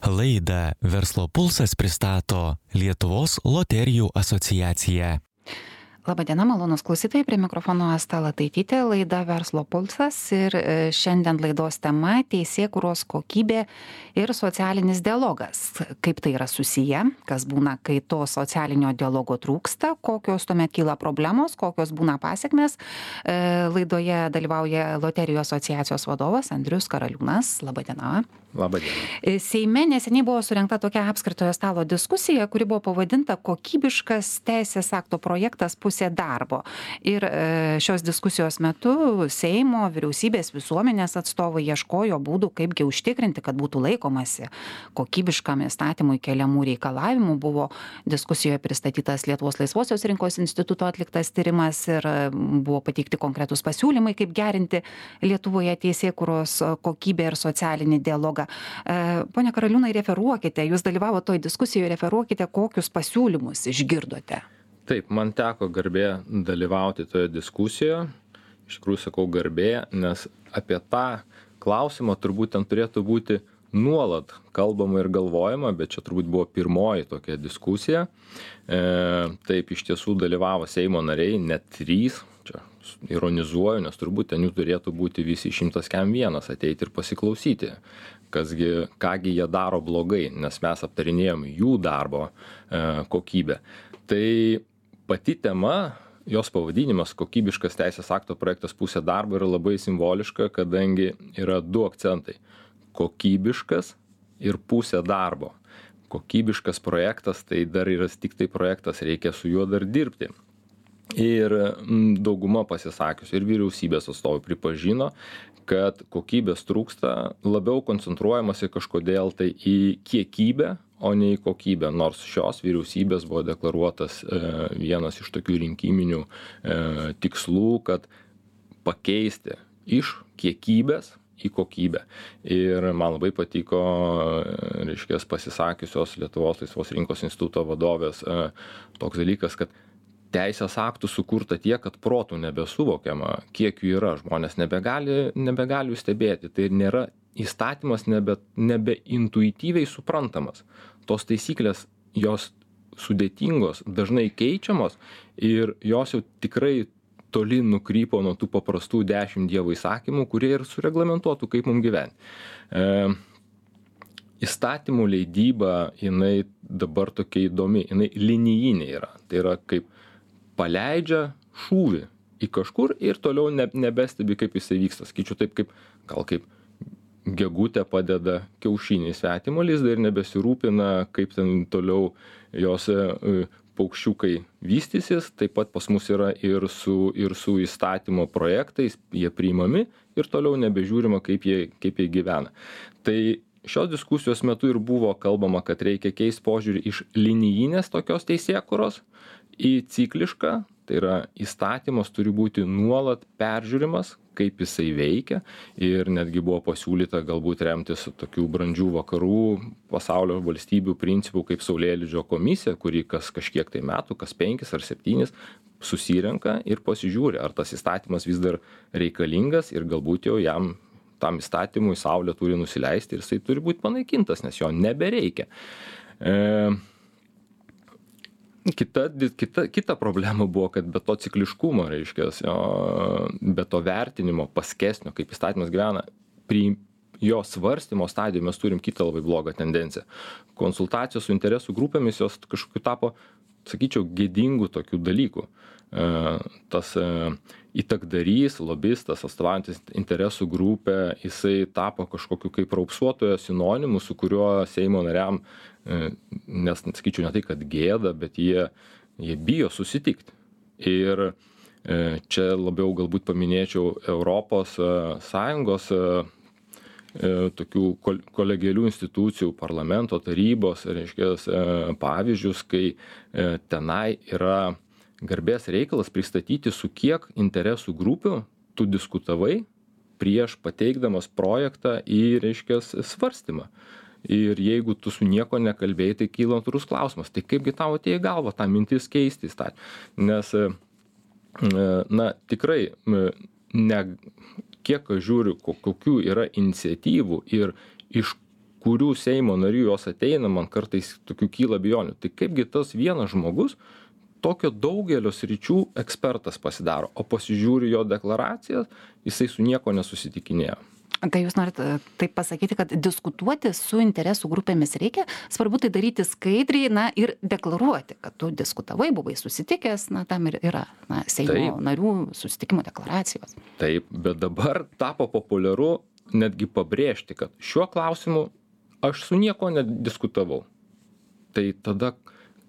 Laidą Verslo pulsas pristato Lietuvos loterijų asociacija. Labadiena, malonus klausytojai, prie mikrofono Asta Lataitytė, laida Verslo pulsas ir šiandien laidos tema teisėkūros kokybė ir socialinis dialogas. Kaip tai yra susiję, kas būna, kai to socialinio dialogo trūksta, kokios tuomet kyla problemos, kokios būna pasiekmes. Laidoje dalyvauja Loterijų asociacijos vadovas Andrius Karaliūnas. Labadiena. Labadiena. Seime neseniai buvo surengta tokia apskritojo stalo diskusija, kuri buvo pavadinta kokybiškas teisės akto projektas pusė darbo. Ir šios diskusijos metu Seimo, vyriausybės, visuomenės atstovai ieškojo būdų, kaipgi užtikrinti, kad būtų laikomasi kokybiškam įstatymui keliamų reikalavimų. Buvo diskusijoje pristatytas Lietuvos laisvosios rinkos instituto atliktas tyrimas ir buvo pateikti konkretus pasiūlymai, kaip gerinti Lietuvoje teisėkūros kokybę ir socialinį dialogą. Pone Karaliūnai, referuokite, jūs dalyvavote toj diskusijoje, referuokite, kokius pasiūlymus išgirdote. Taip, man teko garbė dalyvauti toje diskusijoje. Iš tikrųjų sakau garbė, nes apie tą klausimą turbūt ten turėtų būti nuolat kalbama ir galvojama, bet čia turbūt buvo pirmoji tokia diskusija. Taip, iš tiesų dalyvavo Seimo nariai, net 3. Čia ironizuoju, nes turbūt ten jų turėtų būti visi 101 ateiti ir pasiklausyti, kągi jie daro blogai, nes mes aptarinėjom jų darbo kokybę. Tai pati tema, jos pavadinimas kokybiškas teisės akto projektas pusė darbo yra labai simboliška, kadangi yra 2 akcentai - kokybiškas ir pusė darbo. Kokybiškas projektas, tai dar yra tik tai projektas, reikia su juo dar dirbti. Ir dauguma pasisakius ir vyriausybės atstovai pripažino, kad kokybės trūksta, labiau koncentruojamasi kažkodėl tai į kiekybę, o ne į kokybę, nors šios vyriausybės buvo deklaruotas vienas iš tokių rinkiminių tikslų, kad pakeisti iš kiekybės į kokybę. Ir man labai patiko, reiškia, pasisakiusios Lietuvos laisvos rinkos instituto vadovės toks dalykas, kad teisės aktų sukurta tiek, kad protų nebesuvokiama, kiek jų yra. Žmonės nebegali jų stebėti. Tai nėra įstatymas nebeintuityviai suprantamas. Tos taisyklės, jos sudėtingos, dažnai keičiamos ir jos jau tikrai toli nukrypo nuo tų paprastų 10 Dievo įsakymų, kurie ir sureglamentuotų, kaip mums gyventi. Įstatymų leidyba, jinai dabar tokia įdomi, jinai linijinė yra. Tai yra kaip paleidžia šūvį į kažkur ir toliau nebestebi, kaip jisai vyksta. Skaičiu taip, kaip gegutė padeda kiaušinį į svetimo lizdą ir nebesirūpina, kaip ten toliau jos paukščiukai vystysis. Taip pat pas mus yra ir su įstatymo projektais, jie priimami ir toliau nebežiūrima, kaip jie gyvena. Tai šios diskusijos metu ir buvo kalbama, kad reikia keisti požiūrį iš linijinės tokios teisėkūros į ciklišką, tai yra įstatymas turi būti nuolat peržiūrimas, kaip jisai veikia ir netgi buvo pasiūlyta galbūt remtis tokių brandžių vakarų pasaulio valstybių principų kaip Saulėlydžio komisija, kuri kas kažkiek tai metų, kas 5 ar 7 susirenka ir pasižiūri, ar tas įstatymas vis dar reikalingas ir galbūt jau tam įstatymui Saulė turi nusileisti ir jisai turi būti panaikintas, nes jo nebereikia. Kita problema buvo, kad be to cikliškumo, reiškia, be to vertinimo paskesnio, kaip įstatymas gyvena, jo svarstymo stadijoje mes turim kitą labai blogą tendenciją. Konsultacijos su interesų grupėmis jos kažkokiu tapo, sakyčiau, gėdingų tokių dalykų. Tas įtakdarys, lobistas, atstovaujantis interesų grupę, jisai tapo kažkokiu kaip raupsuotojo sinonimu, su kuriuo Seimo nariam, nes, sakyčiau, ne tai, kad gėda, bet jie bijo susitikti. Ir čia labiau galbūt paminėčiau Europos Sąjungos tokių kolegialių institucijų, parlamento tarybos, reiškia, pavyzdžius, kai tenai yra garbės reikalas pristatyti, su kiek interesų grupių tu diskutavai prieš pateikdamas projektą į, reiškia, svarstymą. Ir jeigu tu su nieko nekalbėjai, tai kyla natūrus klausimas, tai kaipgi tau atėjo į galvą tą mintis keisti įstatymą. Nes, tikrai, kiek aš žiūriu, kokių yra iniciatyvų ir iš kurių Seimo narių jos ateina, man kartais tokių kyla abejonių. Tai kaipgi tas vienas žmogus tokio daugelio sričių ekspertas pasidaro, o pasižiūri jo deklaracijas, jisai su nieko nesusitikinėjo. Tai jūs norit taip pasakyti, kad diskutuoti su interesų grupėmis reikia, svarbu tai daryti skaidriai, ir deklaruoti, kad tu diskutavai, buvai susitikęs, tam ir yra Seimo narių susitikimo deklaracijos. Taip, bet dabar tapo populiaru netgi pabrėžti, kad šiuo klausimu aš su nieko nediskutavau. Tai tada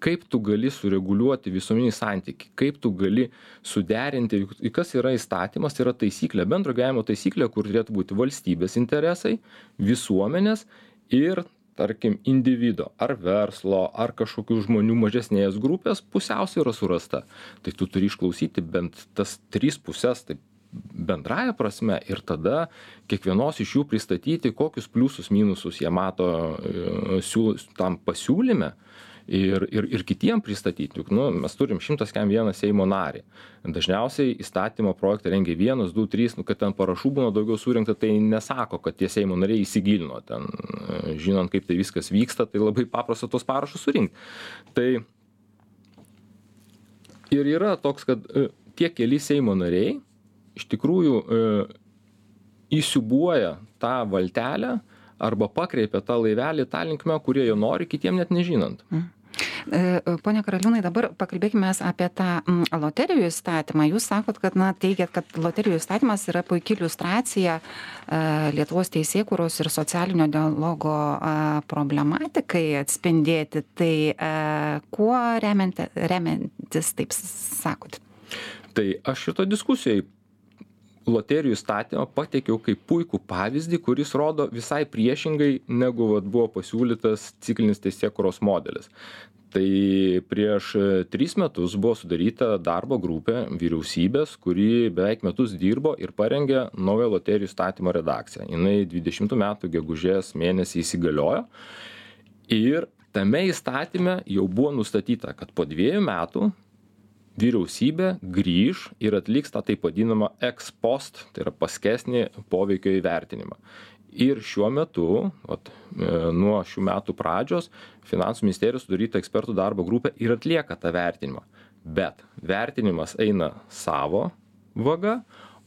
kaip tu gali sureguliuoti visuomeninį santykį, kaip tu gali suderinti, kas yra įstatymas, tai yra taisyklė, bendro gyvenimo taisyklė, kur turėtų būti valstybės interesai, visuomenės ir, tarkim, individo, ar verslo, ar kažkokių žmonių mažesnės grupės pusiausvyra surasta. Tai tu turi išklausyti bent tas 3 pusės, taip bendraja prasme, ir tada kiekvienos iš jų pristatyti, kokius pliusus, minusus jie mato tam pasiūlyme. Ir kitiem pristatyti, juk mes turim 101 Seimo narį. Dažniausiai įstatymo projektą rengia 1, 2, 3, kad ten parašų būna daugiau surinkta, tai nesako, kad tie Seimo nariai įsigilino ten, žinant, kaip tai viskas vyksta, tai labai paprasta tos parašus surinkti. Tai ir yra toks, kad tie keli Seimo nariai iš tikrųjų įsiūbuoja tą valtelę arba pakreipia tą laivelį tą linkmę, kurie jo nori, kitiem net nežinant. Pone Karaliūnai, dabar pakalbėkime apie tą loterijų įstatymą. Jūs sakot, kad teigiat, kad loterijų įstatymas yra puikia iliustracija Lietuvos teisėkūros ir socialinio dialogo problematikai atspindėti. Tai kuo remiantis taip sakot? Tai aš šito diskusijai loterijų įstatymą pateikiau kaip puikų pavyzdį, kuris rodo visai priešingai, negu buvo pasiūlytas ciklinis teisėkūros modelis. Tai prieš 3 metus buvo sudaryta darbo grupė vyriausybės, kuri beveik metus dirbo ir parengė naują loterijų įstatymo redakciją. Jinai 20 metų gegužės mėnesį įsigaliojo ir tame įstatyme jau buvo nustatyta, kad po 2 metų vyriausybė grįž ir atliks tą taip vadinamą ex post, tai yra paskesnį poveikio įvertinimą. Ir šiuo metu, nuo šių metų pradžios, Finansų ministerijos sudaryta ekspertų darbo grupė ir atlieka tą vertinimą. Bet vertinimas eina savo vaga,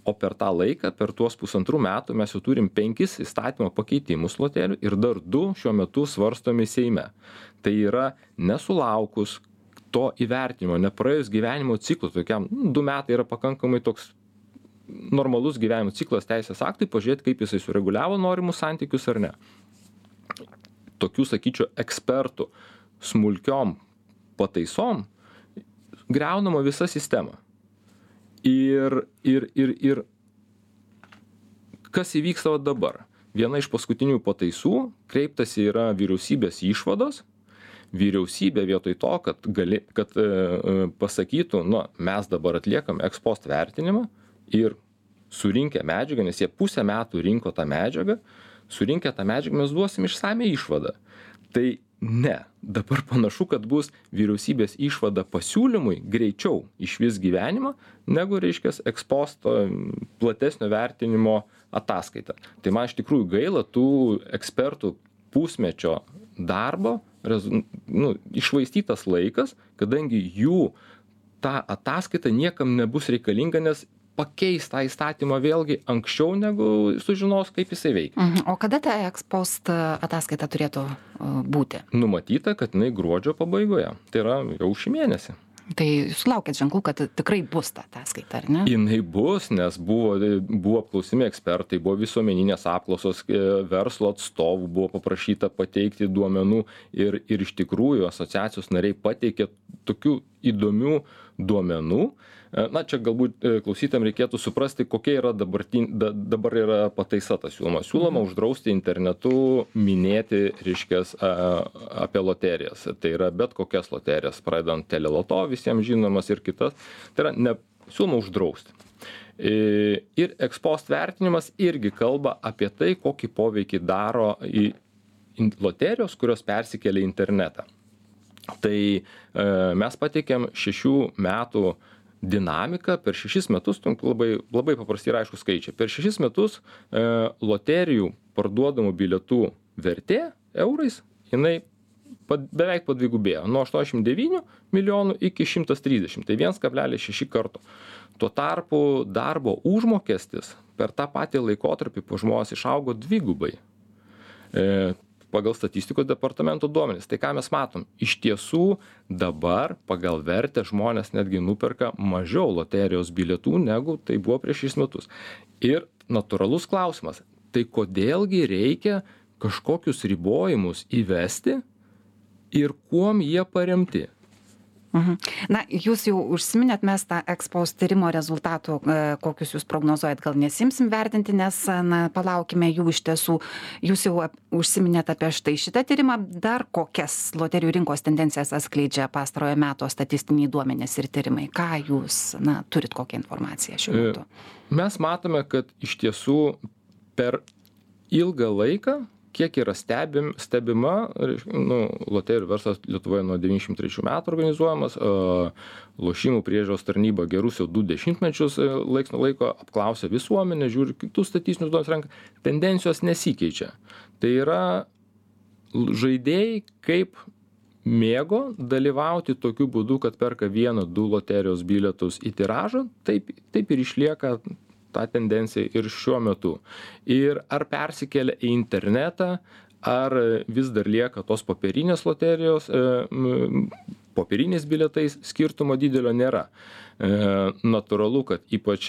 o per tą laiką, per tuos 1,5 metų mes jau turim 5 įstatymo pakeitimus loterijų ir dar 2 šiuo metu svarstomi Seime. Tai yra nesulaukus to įvertinimo, nepraėjus gyvenimo ciklų, tokiam 2 metai yra pakankamai toks normalus gyvenimo ciklas teisės aktui, pažiūrėti, kaip jisai sureguliavo norimus santykius ar ne. Tokių, sakyčiau, ekspertų smulkiom pataisom griaunama visa sistema. Ir kas įvyksta dabar? Viena iš paskutinių pataisų kreiptasi yra vyriausybės išvados. Vyriausybė vietoj to, kad pasakytų, mes dabar atliekam ex post vertinimą ir surinkę medžiagą, nes jie pusę metų rinko tą medžiagą, surinkę tą medžiagą mes duosim išsamią išvadą. Tai ne, dabar panašu, kad bus vyriausybės išvada pasiūlymui greičiau išvis gyvenimą, negu, ex post platesnio vertinimo ataskaita. Tai man iš tikrųjų gaila tų ekspertų pusmečio darbo, iššvaistytas laikas, kadangi jų ta ataskaita niekam nebus reikalinga, nes pakeis tą įstatymą vėlgi anksčiau, negu sužinos, kaip jisai veikia. O kada ta ex post ataskaita turėtų būti? Numatyta, kad jinai gruodžio pabaigoje. Tai yra jau šį mėnesį. Tai sulaukėt ženklų, kad tikrai bus ta ataskaita, ar ne? Jinai bus, nes buvo apklausimi ekspertai, buvo visuomeninės apklausos, verslo atstovų buvo paprašyta pateikti duomenų ir iš tikrųjų asociacijos nariai pateikė tokių įdomių duomenų. Čia galbūt klausytam reikėtų suprasti, kokia yra dabar yra pataisa ta siūloma. Siūloma uždrausti internetu minėti, apie loterijas. Tai yra bet kokias loterijas, pradedant teleloto, visiems žinomas ir kitas. Tai yra siūloma uždrausti. Ir ex post vertinimas irgi kalba apie tai, kokį poveikį daro loterijos, kurios persikelia į internetą. Tai mes pateikėm 6 metų dinamiką per 6 metus, labai paprasti ir aišku skaičiai. Per 6 metus loterijų parduodamų bilietų vertė eurais, jinai beveik padvigubėjo, nuo 89 milijonų iki 130, tai 1,6 karto. Tuo tarpu darbo užmokestis per tą patį laikotarpį po žmonės išaugo dvigubai. Pagal statistikos departamento duomenis. Tai ką mes matom? Iš tiesų dabar pagal vertę žmonės netgi nuperka mažiau loterijos bilietų, negu tai buvo prieš 6 metus. Ir natūralus klausimas, tai kodėlgi reikia kažkokius ribojimus įvesti ir kuom jie paremti? Na, jūs jau užsiminėt, mes tą ekspost tyrimo rezultatų, kokius jūs prognozuojat, gal nesimsim vertinti, nes, na, palaukime jų iš tiesų. Jūs jau užsiminėt apie štai šitą tyrimą, dar kokias loterijų rinkos tendencijas atskleidžia pastarojo meto statistiniai duomenys ir tyrimai. Ką jūs, na, turit kokią informaciją šiuo metu? Mes matome, kad iš tiesų per ilgą laiką, kiek yra stebima, loterijų verslas Lietuvoje nuo 93 metų organizuojamas, lošimų priežiūros tarnyba gerus jau 2 dešimtmečius laiks nuo laiko apklausia visuomenę, žiūri kitus statistinius duomenis renka, tendencijos nesikeičia. Tai yra žaidėjai kaip mėgo dalyvauti tokiu būdu, kad perka 1-2 loterijos bilietus į tiražą, taip ir išlieka ta tendencija ir šiuo metu. Ir ar persikelia į internetą, ar vis dar lieka tos popierinės loterijos, popieriniais bilietais, skirtumo didelio nėra. Natūralu, kad ypač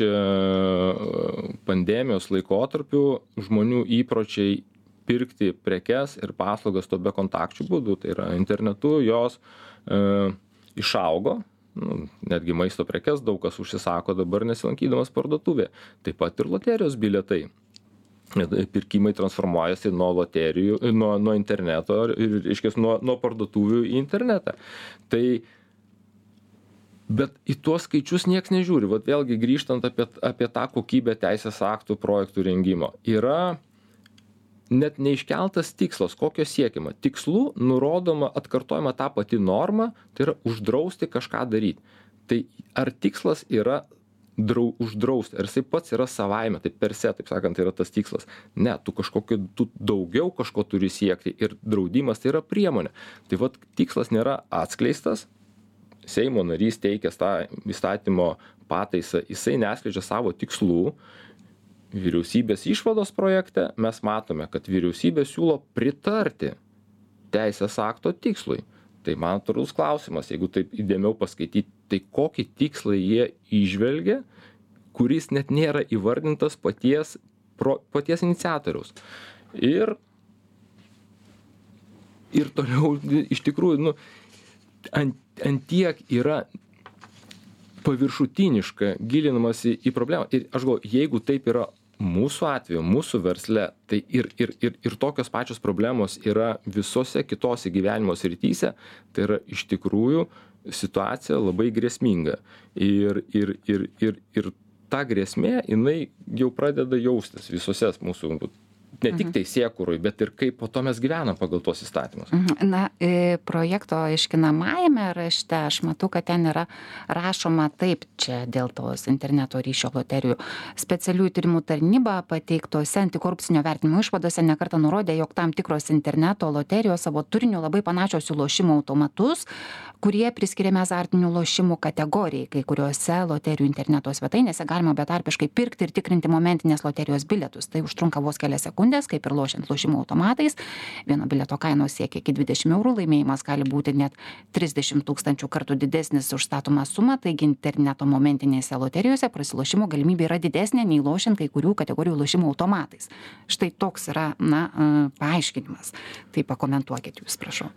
pandemijos laikotarpiu žmonių įpročiai pirkti prekes ir paslaugas to bekontakčių būdų, tai yra internetu, jos išaugo. Netgi maisto prekes daug kas užsisako dabar nesilankydamas parduotuvėje. Taip pat ir loterijos bilietai. Pirkimai transformuojasi nuo loterijų, nuo interneto ir, reiškia, nuo parduotuvių į internetą. Bet į tuos skaičius nieks nežiūri. Vat vėlgi grįžtant apie tą kokybę teisės aktų projektų rengimo. Yra net neiškeltas tikslas, kokio siekiama. Tikslų nurodoma, atkartojama ta pati norma, tai yra uždrausti kažką daryti. Tai ar tikslas yra uždrausti, ar jisai pats yra savaime, tai per se, taip sakant, yra tas tikslas. Ne, tu daugiau kažko turi siekti ir draudimas tai yra priemonė. Tai vat tikslas nėra atskleistas, Seimo narys teikęs tą įstatymo pataisą, jisai neskleidžia savo tikslų. Vyriausybės išvados projekte mes matome, kad vyriausybė siūlo pritarti teisės akto tikslui. Tai man natūralus klausimas, jeigu taip įdėmiau paskaityti, tai kokį tikslą jie įžvelgia, kuris net nėra įvardintas paties iniciatoriaus. Ir toliau iš tikrųjų, ant tiek yra paviršutiniška gilinamasi į problemą. Ir aš galvoju, jeigu taip yra mūsų atveju, mūsų versle, tai ir tokios pačios problemos yra visose kitose gyvenimo srityse, tai yra iš tikrųjų situacija labai grėsminga. Ir ta grėsmė, jinai jau pradeda jaustis visose mūsų, ne tik teisėkūroj, bet ir kaip po to mes gyvenam pagal tuos įstatymus. Na, projekto aiškinamajame rašte aš matau, kad ten yra rašoma taip, čia dėl tos interneto ryšio loterijų. Specialiųjų tyrimų tarnyba pateiktose antikorupcinio vertinimo išvadose nekartą nurodė, jog tam tikros interneto loterijos savo turiniu labai panašios į lošimo automatus, kurie priskiriami azartinių lošimų kategorijai. Kai kuriuose loterijų interneto svetainėse galima betarpiškai pirkti ir tikrinti momentinės loterijos bilietus. Tai užtrunka vos kelias sekundės, kaip ir lošiant lošimo automatais. Vieno bilieto kainos siekia iki 20 €, laimėjimas gali būti net 30 000 kartų didesnis už statomą sumą, taigi interneto momentinėse loterijose prasilošimo galimybė yra didesnė nei lošiant kai kurių kategorijų lošimo automatais. Štai toks yra, paaiškinimas. Tai pakomentuokit jūs, prašau.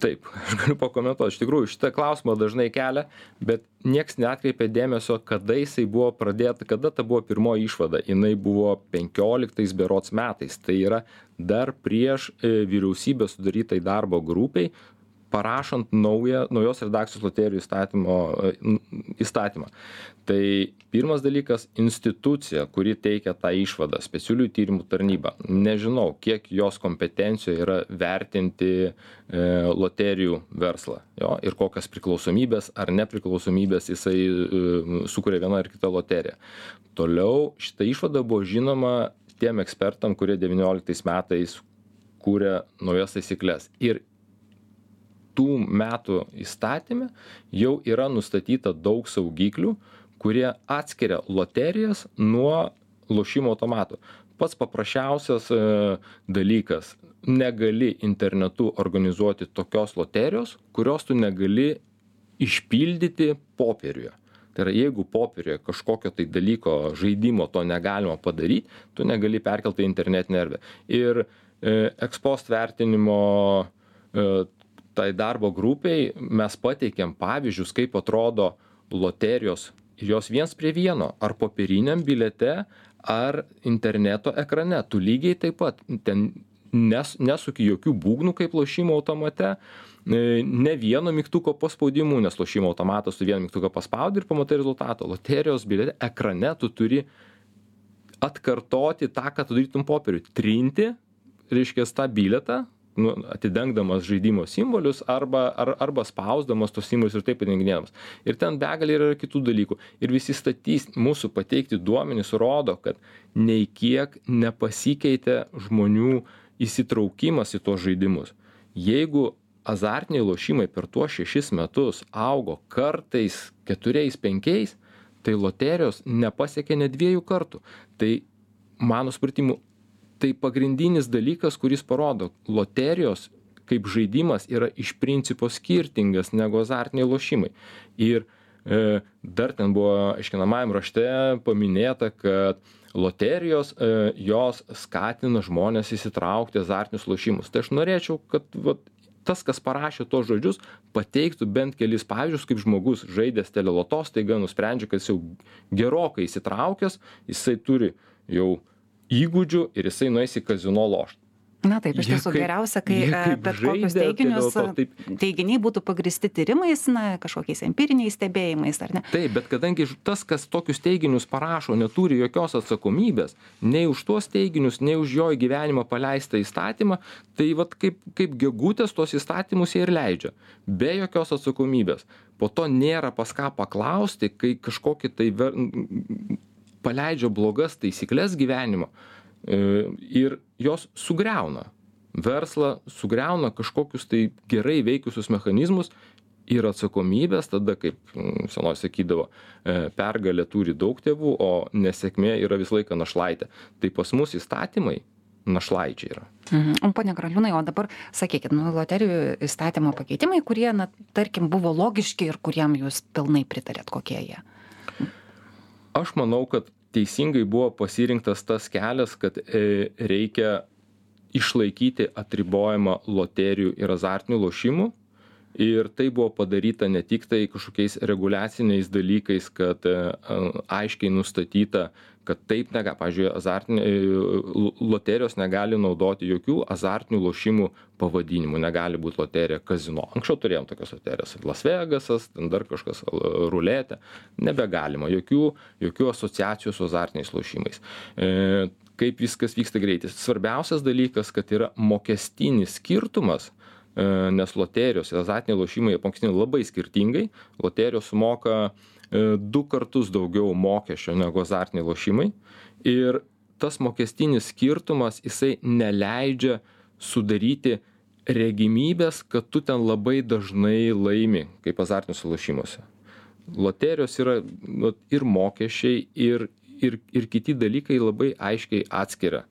Taip, aš galiu pakomentuoti. Iš tikrųjų, šitą klausimą dažnai kelia, bet nieks neatkreipė dėmesio, kada jisai buvo pradėta, kada ta buvo pirmoji išvada. Jinai buvo 15 berods metais. Tai yra dar prieš vyriausybę sudarytai darbo grupiai, parašant naujos redakcijos loterijų įstatymą. Tai pirmas dalykas - institucija, kuri teikia tą išvadą, specialiųjų tyrimų tarnyba. Nežinau, kiek jos kompetencijoje yra vertinti loterijų verslą, ir kokias priklausomybės ar nepriklausomybės jisai sukuria viena ar kita loterija. Toliau šita išvada buvo žinoma tiem ekspertam, kurie 19 metais kūrė naujas taisyklės. Ir tų metų įstatyme jau yra nustatyta daug saugiklių, kurie atskiria loterijas nuo lošimo automatų. Pats paprasčiausias dalykas - negali internetu organizuoti tokios loterijos, kurios tu negali išpildyti popieriuje. Tai yra, jeigu popieriuje kažkokio tai dalyko žaidimo to negalima padaryti, tu negali perkelti į internetinę erdvę. Ir ekspost vertinimo tai darbo grupiai mes pateikėm pavyzdžius, kaip atrodo loterijos, jos 1:1, ar popieriniam bilete, ar interneto ekrane. Tu lygiai taip pat ten nesuki jokių būgnų kaip lošimo automate, ne vieno mygtuko paspaudimų, nes lošimo automatas tu vieną mygtuką paspaudi ir pamatai rezultatą. Loterijos bilete ekrane tu turi atkartoti tą, ką tu darytum popieriui. Trinti, reiškia, tą biletą, atidengdamas žaidimo simbolius arba spausdamas tos simbolius ir taip padenginėdamas. Ir ten begalė yra kitų dalykų. Ir visi mūsų pateikti duomenys rodo, kad nei kiek nepasikeitė žmonių įsitraukimas į tos žaidimus. Jeigu azartiniai lošimai per tuos 6 metus augo kartais 4-5, tai loterijos nepasiekė net 2 kartų. Tai mano supratimu, tai pagrindinis dalykas, kuris parodo, loterijos kaip žaidimas yra iš principo skirtingas negu azartiniai lošimai. Ir dar ten buvo aiškinamajam rašte paminėta, kad loterijos jos skatina žmonės įsitraukti azartinius lošimus. Tai aš norėčiau, kad tas, kas parašė tos žodžius, pateiktų bent kelis pavyzdžius, kaip žmogus žaidęs teleloto staiga nusprendžia, kad jis jau gerokai įsitraukęs, jisai turi jau įgūdžių ir jisai nueis į kazino lošti. Na taip, iš tiesų geriausia, kai bet kokius teiginiai būtų pagristi tyrimais, kažkokiais empiriniais stebėjimais, ar ne? Taip, bet kadangi tas, kas tokius teiginius parašo, neturi jokios atsakomybės, nei už tuos teiginius, nei už jo į gyvenimą paleistą įstatymą, tai kaip gegutės tuos įstatymus jie ir leidžia, be jokios atsakomybės. Po to nėra pas ką paklausti, kai kažkokį tai paleidžia blogas taisyklės gyvenimo. Ir jos sugriauna verslą, sugriauna kažkokius tai gerai veikusius mechanizmus ir atsakomybės, tada, kaip senoj sakydavo, pergalė turi daug tėvų, o nesėkmė yra visą laiką našlaitė. Tai pas mus įstatymai našlaičiai yra. Pone Graliūnai, o dabar sakykit, loterijų įstatymo pakeitimai, kurie, tarkim, buvo logiški ir kuriem jūs pilnai pritarėt, kokie jie? Aš manau, kad teisingai buvo pasirinktas tas kelias, kad reikia išlaikyti atribojimą loterijų ir azartinių lošimų. Ir tai buvo padaryta ne tik tai kažkokiais reguliaciniais dalykais, kad aiškiai nustatyta, kad taip pavyzdžiui, loterijos negali naudoti jokių azartinių lošimų pavadinimų, negali būti loterija kazino. Anksčiau turėjom tokias loterijas, Las Vegasas, ten dar kažkas, ruletė, nebegalima, jokių asociacijų su azartiniais lošimais. Kaip viskas vyksta greitai. Svarbiausias dalykas, kad yra mokestinis skirtumas, nes loterijos ir azartiniai lošimai apmokestinami labai skirtingai. Loterijos sumoka 2 kartus daugiau mokesčio negu azartiniai lošimai. Ir tas mokestinis skirtumas, jisai neleidžia sudaryti regimybės, kad tu ten labai dažnai laimi, kaip azartiniuose lošimuose. Loterijos yra ir mokesčiai, ir kiti dalykai labai aiškiai atskiria,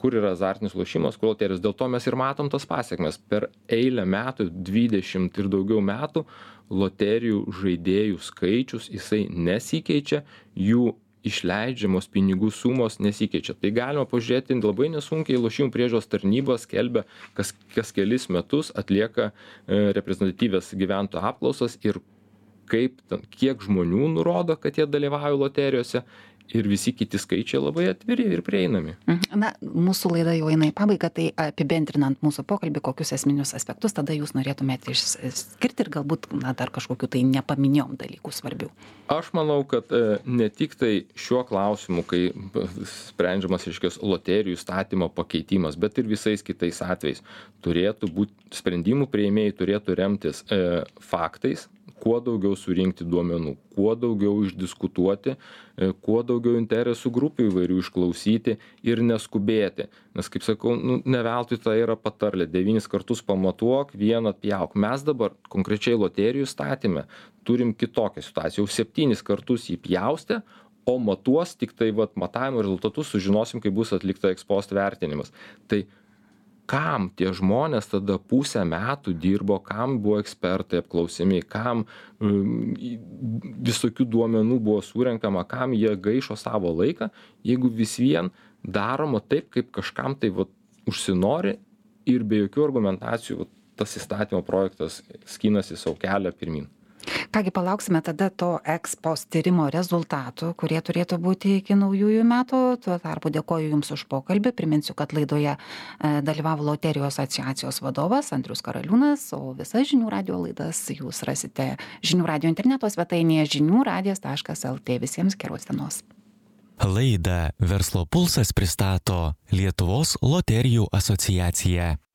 kur yra azartinis lošimas, kur loterijos. Dėl to mes ir matom tas pasekmes. Per eilę metų, 20 ir daugiau metų, loterijų žaidėjų skaičius, jisai nesikeičia, jų išleidžiamos pinigų sumos nesikeičia. Tai galima pažiūrėti labai nesunkiai, lošimų priežiūros tarnyba skelbia, kas kelis metus atlieka reprezentatyvias gyventojų apklausas ir kiek žmonių nurodo, kad jie dalyvauja loterijose. Ir visi kiti skaičiai labai atviri ir prieinami. Mūsų laida jau eina į pabaigą, tai apibendrinant mūsų pokalbį, kokius esminius aspektus tada jūs norėtumėte išskirti ir galbūt dar kažkokiu tai nepaminėjom dalykų svarbių. Aš manau, kad ne tik tai šiuo klausimu, kai sprendžiamas loterijų įstatymo pakeitimas, bet ir visais kitais atvejais turėtų būti sprendimų priėmėjai turėtų remtis faktais, kuo daugiau surinkti duomenų, kuo daugiau išdiskutuoti, kuo daugiau interesų grupių įvairių išklausyti ir neskubėti. Nes, kaip sakau, ne veltui tai yra patarlė, 9 kartus pamatuok, 1 atpjauk. Mes dabar konkrečiai loterijų įstatyme turim kitokią situaciją, jau 7 kartus jį pjaustė, o matuos tik tai matavimo rezultatus sužinosim, kai bus atlikta ex post vertinimas. Tai kam tie žmonės tada pusę metų dirbo, kam buvo ekspertai apklausiami, kam visokių duomenų buvo surenkama, kam jie gaišo savo laiką, jeigu vis vien daroma taip, kaip kažkam tai užsinori ir be jokių argumentacijų tas įstatymo projektas skinasi savo kelią pirmin. Kągi, palauksime tada to ex post tyrimo rezultatų, kurie turėtų būti iki naujųjų metų. Tuo tarpu dėkoju Jums už pokalbį. Priminsiu, kad laidoje dalyvavo Loterijų asociacijos vadovas Andrius Karaliūnas, o visas Žinių radijo laidas Jūs rasite Žinių radijo interneto svetainėje žiniųradijas.lt. Visiems geros dienos. Laidą Verslo pulsas pristato Lietuvos loterijų asociacija.